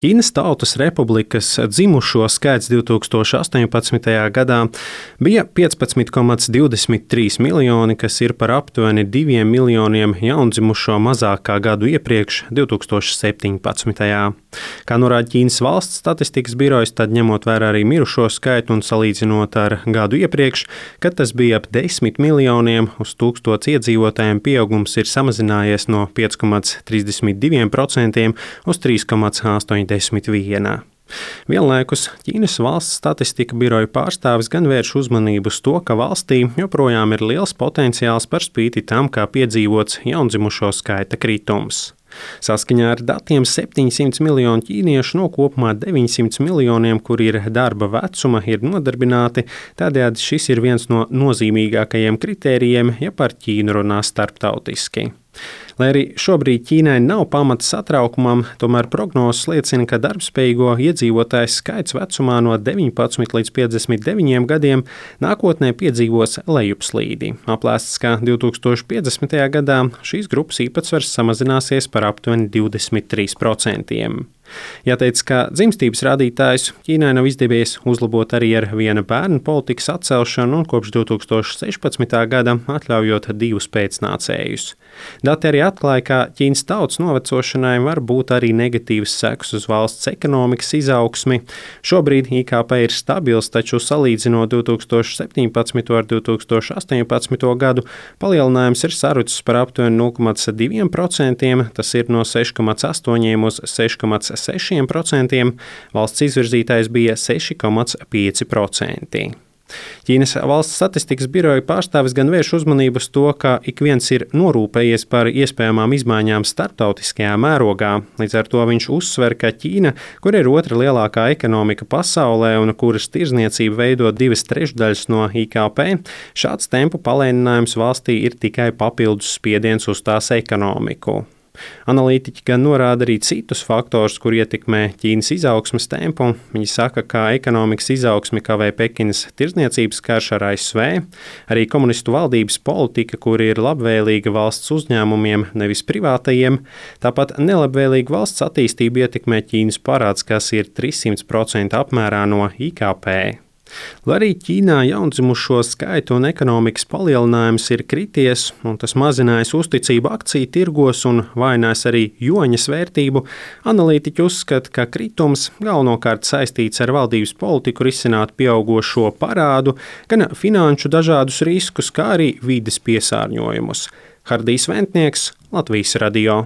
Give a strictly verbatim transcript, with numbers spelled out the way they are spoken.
Ķīnas Tautas Republikas dzimušo skaits divs tūkstoši astoņpadsmitajā gadā bija piecpadsmit komats divdesmit trīs miljoni, kas ir par aptuveni diviem miljoniem jaundzimušo mazāk kā gadu iepriekš, divs tūkstoši septiņpadsmitajā. Kā norāda Ķīnas valsts statistikas birojas, tad ņemot vērā arī mirušo skaitu un salīdzinot ar gadu iepriekš, kad tas bija ap desmit miljoniem, uz tūkstots iedzīvotājiem pieaugums ir samazinājies no pieci komats trīsdesmit divi procenti uz trīs komats astoņdesmit viens. Vienlaikus Ķīnas valsts statistika biroja pārstāvis gan vērš uzmanību uz to, ka valstī joprojām ir liels potenciāls par spīti tam, kā piedzīvots jaundzimušo skaita kritums. Saskaņā ar datiem septiņsimt miljoni ķīniešu no kopumā deviņsimt miljoniem, kuri ir darba vecuma, ir nodarbināti, tādējādi šis ir viens no nozīmīgākajiem kritērijiem, ja par Ķīnu runā starptautiski. Lai arī šobrīd Ķīnai nav pamata satraukumam, tomēr prognozes liecina, ka darbspējīgo iedzīvotāju skaits vecumā no deviņpadsmit līdz piecdesmit deviņiem gadiem nākotnē piedzīvos lejupslīdi. Aplēsts, ka divs tūkstoši piecdesmitajā gadā šīs grupas īpatsvars samazināsies par aptuveni divdesmit trīs procenti. Jāteic, ka dzimstības rādītājus Ķīnai nav izdevies uzlabot arī ar viena bērna politikas atcelšanu un kopš divs tūkstoši sešpadsmitā gada atļaujot divus pēcnācējus. Dati arī atklāja, ka Ķīnas tautas novecošanai var būt arī negatīvas sekas uz valsts ekonomikas izaugsmi. Šobrīd I K P ir stabils, taču salīdzinot divs tūkstoši septiņpadsmito ar divs tūkstoši astoņpadsmito gadu, palielinājums ir sarucis par aptuveni nulle komats divi procenti, tas ir no seši komats astoņi uz seši komats seši procenti, valsts izvirzītājs bija seši komats pieci procenti. Ķīnas valsts statistikas biroja pārstāvis gan vērš uzmanību uz to, ka ik viens ir norūpējies par iespējamām izmaiņām starptautiskajā mērogā. Līdz ar to viņš uzsver, ka Ķīna, kur ir otra lielākā ekonomika pasaulē un kuras tirzniecība veido divas trešdaļas no I K P, šāds tempu palēninājums valstī ir tikai papildus spiediens uz tās ekonomiku. Analītiķi gan norāda arī citus faktorus, kur ietekmē Ķīnas izaugsmes tempu. Viņi saka, ka ekonomikas izaugsmi kavē Pekinas tirdzniecības karš ar A S V, arī komunistu valdības politika, kur ir labvēlīga valsts uzņēmumiem, nevis privātajiem, tāpat nelabvēlīga valsts attīstība ietekmē Ķīnas parāds, kas ir trīssimt procenti apmērā no I K P. Lai arī Ķīnā jaundzimušo skaitu un ekonomikas palielinājums ir krities, un tas mazinājis uzticību akciju tirgos un vājinājis arī juaņas vērtību, analītiķi uzskata, ka kritums galvenokārt saistīts ar valdības politiku risināt pieaugošo parādu, gan finanšu dažādus riskus, kā arī vides piesārņojumus. Hardijs Ventnieks, Latvijas radio.